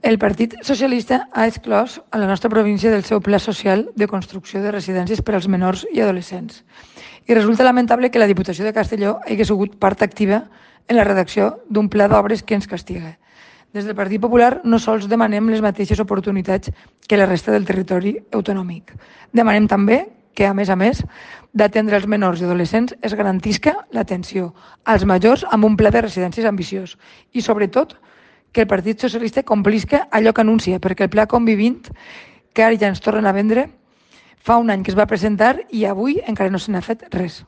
El Partit Socialista ha exclòs a la nostra província del seu pla social de construcció de residències per als menors i adolescents. I resulta lamentable que la Diputació de Castelló hagi sigut part activa en la redacció d'un pla d'obres que ens castiga. Des del Partit Popular no sols demanem les mateixes oportunitats que la resta del territori autonòmic. Demanem també que, a més d'atendre els menors i adolescents, es garantisca l'atenció als majors amb un pla de residències ambiciós i, sobretot, que el Partit Socialista complisca allò que anuncia, perquè el pla Convivint, que ara ja ens tornen a vendre, fa un any que es va presentar i avui encara no se n'ha fet res.